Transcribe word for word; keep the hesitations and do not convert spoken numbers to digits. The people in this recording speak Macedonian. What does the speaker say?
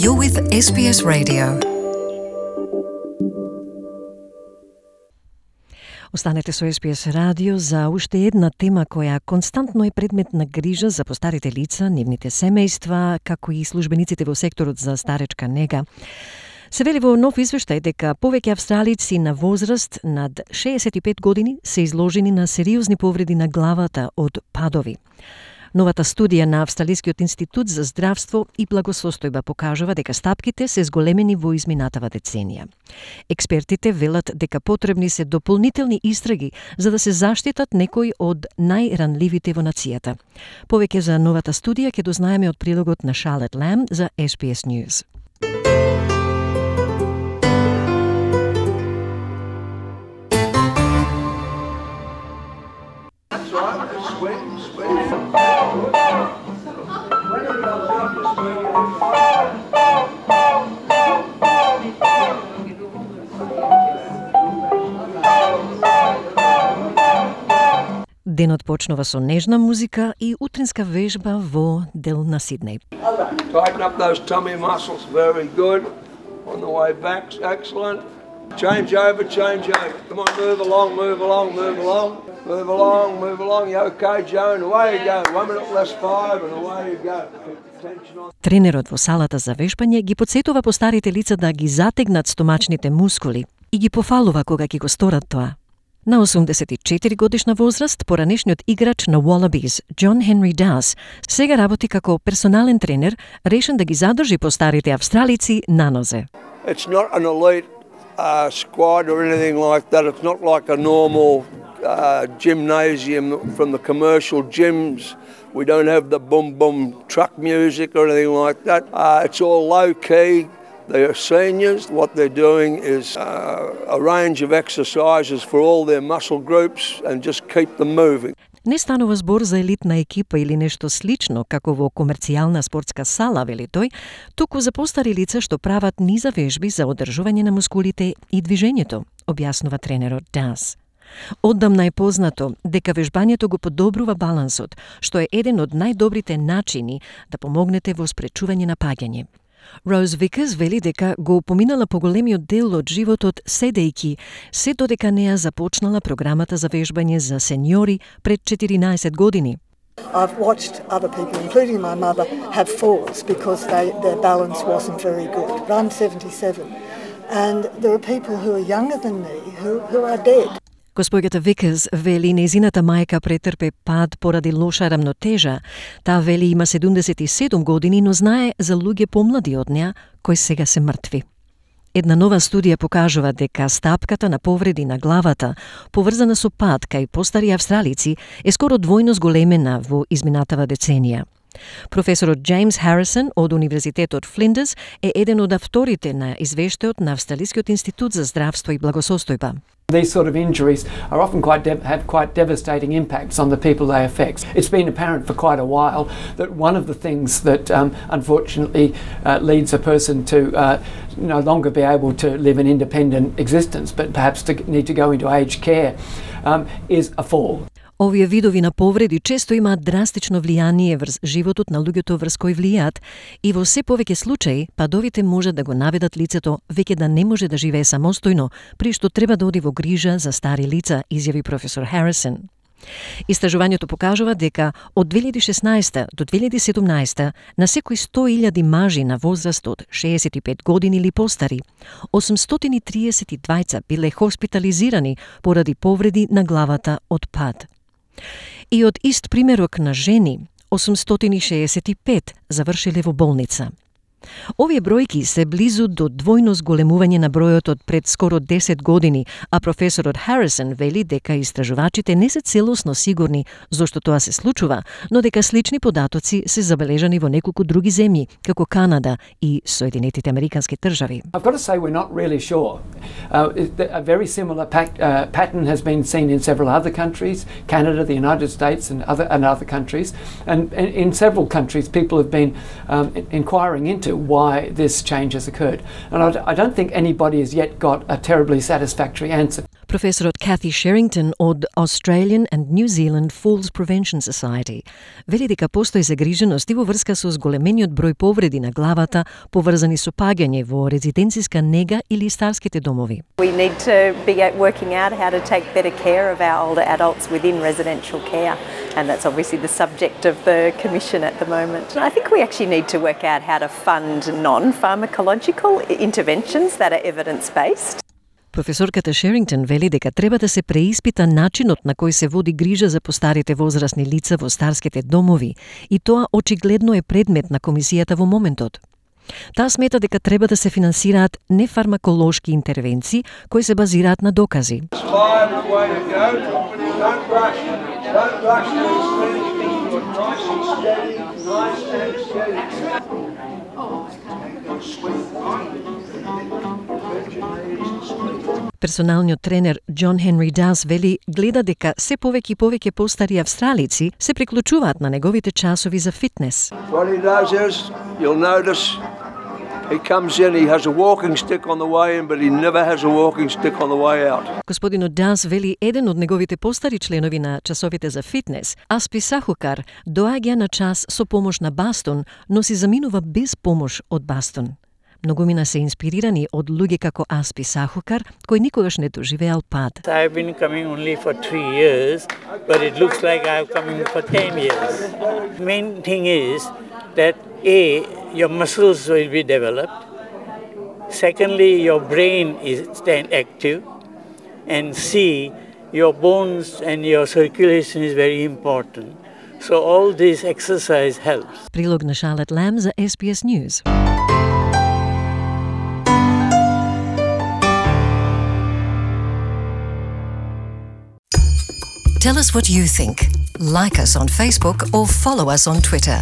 You're with S B S Radio. Останете со С Б С Радио за уште една тема која константно е предмет на грижа за постарите лица, нивните семејства, како и службениците во секторот за старечка нега. Се вели во нов извештај дека повеќе австралици на возраст над шеесет и пет години се изложени на сериозни повреди на главата од падови. Новата студија на Австралискиот институт за здравство и благосостојба покажува дека стапките се зголемени во изминатава деценија. Експертите велат дека потребни се дополнителни истраги за да се заштитат некои од најранливите во нацијата. Повеќе за новата студија ќе дознаеме од прилогот на Charlotte Lamb за С Б С News. Денот почнува со нежна музика и утринска вежба во дел на Сиднеј. Tighten up those tummy muscles, very good. On the way back, excellent. Change over, change over. Come on, move along, move along, move along. Move along, move along. You okay, Joan? Away you go. One minute less five and away you go. Тренерот во салата за вежбање ги потсетува постарите лица да ги затегнат стомачните мускули и ги пофалува кога ќе го сторат тоа. На осумдесет и четири годишна возраст, поранешниот играч на Wallabies, John Henry Dows, сега работи како персонален тренер, решен да ги задржи постарите австралици на нозе. It's not an elite uh, squad or anything like that. It's not like a normal uh, gymnasium from the commercial gyms. We don't have the boom boom truck music or anything like that. Uh, it's all low key. They are seniors. What they're doing is uh, a range of exercises for all their muscle groups and just keep them moving. Не станува збор за елитна екипа или нешто слично, како во комерцијална спортска сала, вели тој, туку за постари лица што прават низа вежби за одржување на мускулите и движењето, објаснува тренерот Дас. Оддамна е познато дека вежбањето го подобрува балансот, што е еден од најдобрите начини да помогнете во спречување на паѓање. Роуз Викерс вели дека го поминала поголемиот дел од животот седејки, се додека неа започнала програмата за вежбање за сеньори пред четиринаесет години. I've watched other people, including my mother, have falls because they, their balance wasn't very good. I'm seventy-seven, and there are people who are younger than me who, who are dead. Госпоѓата Викерс вели нејзината мајка претрпе пад поради лоша рамнотежа. Таа вели има седумдесет и седум години, но знае за луѓе помлади од неа кои сега се мртви. Една нова студија покажува дека стапката на повреди на главата, поврзана со пад кај постари австралици, е скоро двојно зголемена во изминатава деценија. Професорот Джеймс Харисон од Универзитетот Флиндерс е еден од авторите на извештајот на Австралискиот институт за здравство и благосостојба. These sort of injuries are often quite dev- have quite devastating impacts on the people they affect. It's been apparent for quite a while that one of the things that um, unfortunately uh, leads a person to uh, no longer be able to live an independent existence, but perhaps to need to go into aged care, um, is a fall. Овие видови на повреди често имаат драстично влијание врз животот на луѓето врз кои влијаат и во се повеќе случаи падовите можат да го наведат лицето веќе да не може да живее самостојно, при што треба да оди во грижа за стари лица, изјави професор Харисон. Истражувањето покажува дека од две илјади и шеснаесета до две илјади и седумнаесета на секои сто илјади мажи на возраст од шеесет и пет години или постари, осумстотини и триесет и двајца биле хоспитализирани поради повреди на главата од пад. И од ист примерок на жени, осумстотини шеесет и пет завршиле во болница. Овие бројки се близу до двојно зголемување на бројот од пред скоро десет години, а професорот Харисон вели дека истражувачите не се целосно сигурни зошто тоа се случува, но дека слични податоци се забележани во неколку други земји, како Канада и Соединетите Американски држави. I've got to say we're not really sure. Uh, a very similar pact, uh, pattern has been seen in several other countries, Canada, the United States and other and other countries, and, and in several countries people have been um, inquiring into why this change has occurred. And I, I don't think anybody has yet got a terribly satisfactory answer. Професорот Cathy Sherrington од Australian and New Zealand Falls Prevention Society вели дека постои загриженост и во врска со зголемениот број повреди на главата поврзани со паѓање во резиденциска нега или старските домови. We need to be working out how to take better care of our older adults within residential care, and that's obviously the subject of the Commission at the moment. And I think we actually need to work out how to fund non-pharmacological interventions that are evidence-based. Професорката Шерингтон вели дека треба да се преиспита начинот на кој се води грижа за постарите возрастни лица во старските домови, и тоа очигледно е предмет на комисијата во моментот. Таа смета дека треба да се финансираат нефармаколошки интервенции кои се базираат на докази. Персоналниот тренер Џон Хенри Дас вели гледа дека се повеќе и повеќе постари австралици се приклучуваат на неговите часови за фитнес. What he does is, you'll notice, he comes in, he has a walking stick on the way in, but he never has a walking stick on the way out. Господинот Дас вели еден од неговите постари членови на часовите за фитнес, Аспи Сахукар, доаѓа на час со помош на бастон, но си заминува без помош од бастон. Многумина се инспирирани од луѓе како Аспи Сахукар, кој никогаш не доживеал пад. I've been coming only for three years, but it looks like I'm coming for ten years. The main thing is that A, your muscles will be developed. Secondly, your brain is stand active. And C, your bones and your circulation is very important. So all this exercise helps. Прилог на Charlotte Lamb за S B S News. Tell us what you think. Like us on Facebook or follow us on Twitter.